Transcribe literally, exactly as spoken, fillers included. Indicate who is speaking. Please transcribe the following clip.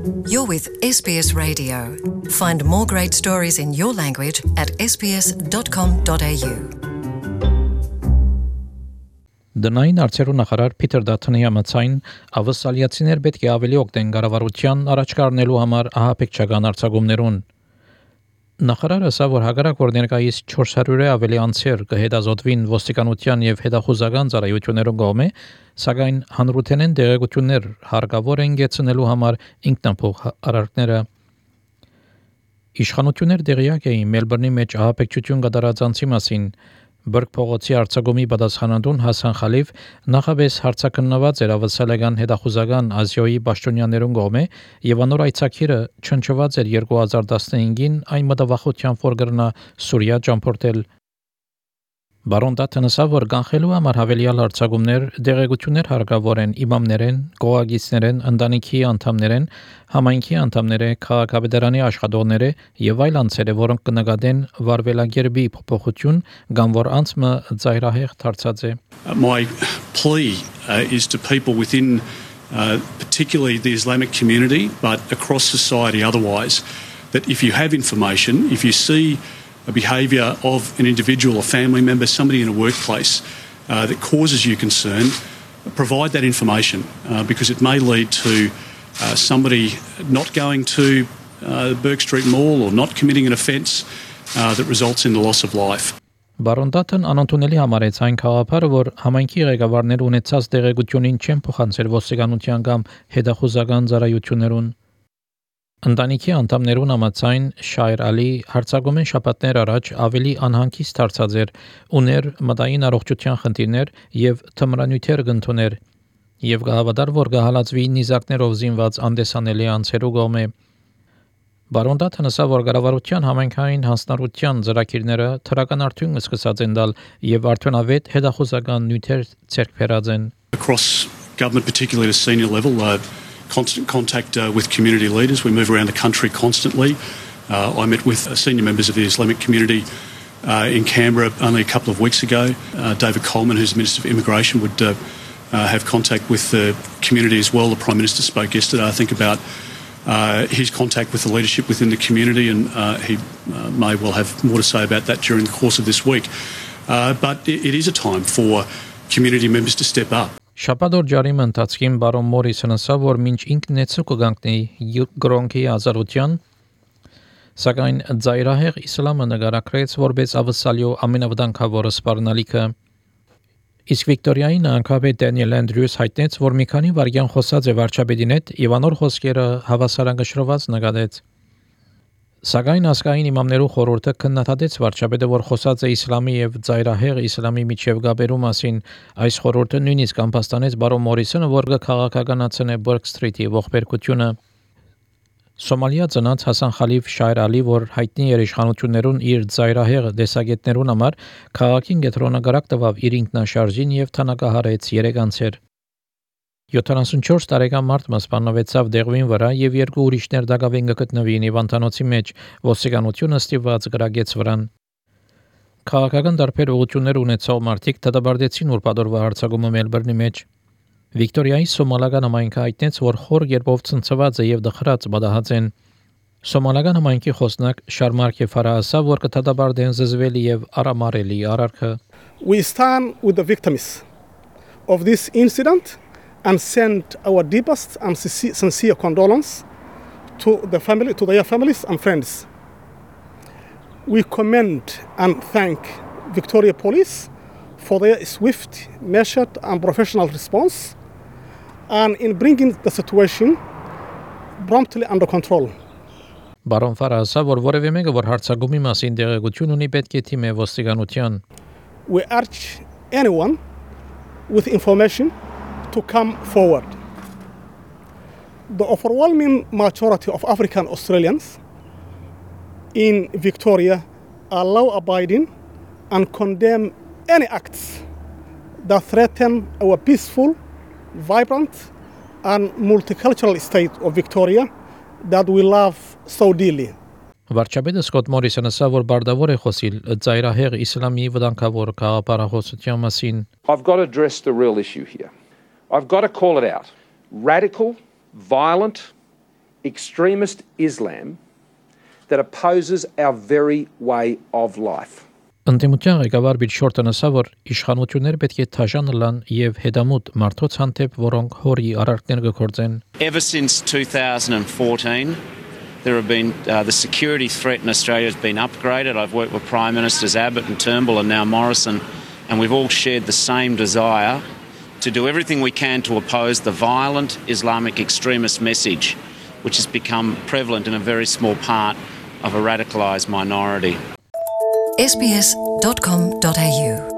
Speaker 1: You're with S B S Radio. Find more great stories in your language at s b s dot com dot a u.
Speaker 2: Դնային արծերու նախարար Փիթեր Դաթոնի համաձայն ավսալիացիներ պետք է ավելի օգտեն կառավարության առաջ կառնելու համար ահաբեկչական արձակումներուն։ Նախարարը ասա, որ հակառակ որ ներկայիս չորս հարյուրը ավելի անձեր կհետազոտվին ոստիկանության եւ հետախուզական ծառայություններուն կողմէ, սակայն հանրութենեն դեղեցություններ հարկավոր են գեցնելու համար ինքնապող արարքները։ Իշխանություններ դեղյակ էին Մելբուրնի մեջ ահաբեկչություն կատարած անձի մասին։ Բրկ փողոցի արձակումի պատասխանատուն Հասան Խալիվ նախաբես հարցակննված էր ավսալական հետախուզական Ազիոյի պաշտոնյաներուն կողմէ եւ անոր այցակիրը չնչված էր երկու հազար տասնհինգին այն մտավախությամբ որ գրնա Սուրիա ճամփորդել։ Բարոն Դաթոնը ասա, որ կանխելու համար հավելյալ արձակումներ դեղեցություններ հարկավոր են իմամներեն, գոհագիցներեն, ընտանիքի անդամներեն, համայնքի անդամները, քաղաքապետարանի աշխատողները եւ այլ անձերը, որոնք կնկատեն վարվելագերբի փոփոխություն, կամ որ անձը ծայրահեղ դարձած է։
Speaker 3: My plea uh, is to people within uh, particularly the Islamic community, but across society otherwise, that if you have information, if you see a behaviour of an individual or family member, somebody in a workplace uh, that causes you concern, provide that information uh, because it may lead to uh, somebody not going to uh, Burke Street Mall or not committing an offence uh, that results in the loss of life.
Speaker 2: Բարոն Դաթոն անընդունելի համարեց այն խաղապարը, որ համայնքի ղեկավարներ ունեցած դեղեցությունին չեն փոխանցել ոստիկանության կամ հետախուզական ծառայություններուն։ Ընտանիքի անդամներուն համաձայն Շայր Ալի հարցակումեն շաբաթներ առաջ ավելի անհանգիստ դարձած էր, ուներ մտային առողջության խնդիրներ եւ թմրանյութեր կընդուներ եւ գահավատար որ կհալածվի նիզակներով զինված անդեսանելի անձերու կողմէ։ Բարոն Դաթոնը ասա, որ կառավարության համայնքային հանձնառության ծրագիրները թրական արդյունք սկսած են տալ եւ արդյունավետ հետախուզական նյութեր ցերկ բերած են։
Speaker 3: Across government, particularly at a senior level, uh, constant contact uh, with community leaders. We move around the country constantly. Uh, I met with uh, senior members of the Islamic community uh, in Canberra only a couple of weeks ago. Uh, David Coleman, who's the Minister for Immigration, would uh, uh, have contact with the community as well. The Prime Minister spoke yesterday, I think, about uh, his contact with the leadership within the community, and uh, he uh, may well have more to say about that during the course of this week. Uh, but it, it is a time for community members to step up.
Speaker 2: Շաբաթօր ջարիմը ընթացքին բարոն Մորիսոնը ասա, որ մինչ ինքն է ցուցակնի գրոնքի ազատության, սակայն ծայրահեղ իսլամը նկարագրեց որպես ավսալյո ամենավտանգավորը սպառնալիքը։ Իսկ Վիկտորիայի նահանգապետ Դենիել Անդրյուս հայտնեց, որ մի քանի վայրկյան խոսած է վարչապետին հետ եւ անոր խոսքերը հավասարակշռված նկատեց։ Սակայն ասկային իմամներու խորհուրդը քննադատեց վարչապետը, որ խոսած է իսլամի եւ ծայրահեղ իսլամի միջև գաբերու մասին։ Այս խորհուրդը նույնիսկ ամբաստանեց բարոն Մորիսոնը, որ կքաղաքականացնե Բուրք Սթրիթի ողբերգությունը։ Սոմալիա ծնած Հասան Խալիվ Շայր Ալի, որ հայտնի էր իշխանություններուն իր ծայրահեղ դեսագետներուն համար, քաղաքին գետրոնագարակ տվավ իր ինքնաշարժին եւ թանկահարեց երեք անձեր։ յոթանասունչորս տարեկան մարդը սպանվեցավ դեղվին վրա եւ երկու ուրիշներ դակավեն գտնվին Իվանտանոցի մեջ, ոստիկանությունը ստիպված գրագեց վրան։ Քաղաքական դարբեր ուղղություններ ունեցող մարդիկ դատաբարտեցին ուրբաթօրվա հարձակումը Մելբուրնի մեջ։ Վիկտորիայի սոմալական համայնքը հայտնեց, որ խոր երբով ցնցված է եւ դխրած բադահած են։ Սոմալական համայնքի խոսնակ Շարմարկե Ֆարահասա, որ կդատաբարտեն զզվելի եւ արամարելի արարքը։
Speaker 4: We stand with the victims of this incident and send our deepest and sincere condolence to the family, to their families and friends. We commend and thank Victoria Police for their swift, measured and professional response and in bringing the situation promptly under control.
Speaker 2: Բարոն Ֆարահասա, որ որևէ մեկը որ հարցակումի մասին դեղեցություն ունի, պետք է թիմե ոստիկանության։
Speaker 4: We urge anyone with information to come forward. The overwhelming majority of African Australians in Victoria are law-abiding and condemn any acts that threaten our peaceful, vibrant and multicultural state of Victoria that we love so dearly.
Speaker 2: Վարչապետը Սկոտ Մորիսոնը ասա, որ բարդավոր է խոսիլ ծայրահեղ իսլամի վտանգավոր քաղաքապարախոսության մասին։
Speaker 5: I've got to address the real issue here. I've got to call it out. Radical, violent, extremist Islam that opposes our very way of life.
Speaker 2: Ընդդիմության ղեկավար Բիլ Շորտոնը ասա, որ իշխանությունները պետք է թաժան լան եւ հետամուտ մարդոց հանդեպ, որոնք հորի արարքներ կգործեն.
Speaker 6: Ever since two thousand fourteen, there have been uh, the security threat in Australia has been upgraded. I've worked with Prime Ministers Abbott and Turnbull and now Morrison, and we've all shared the same desire to do everything we can to oppose the violent Islamic extremist message, which has become prevalent in a very small part of a radicalised minority.
Speaker 1: S B S dot com dot A U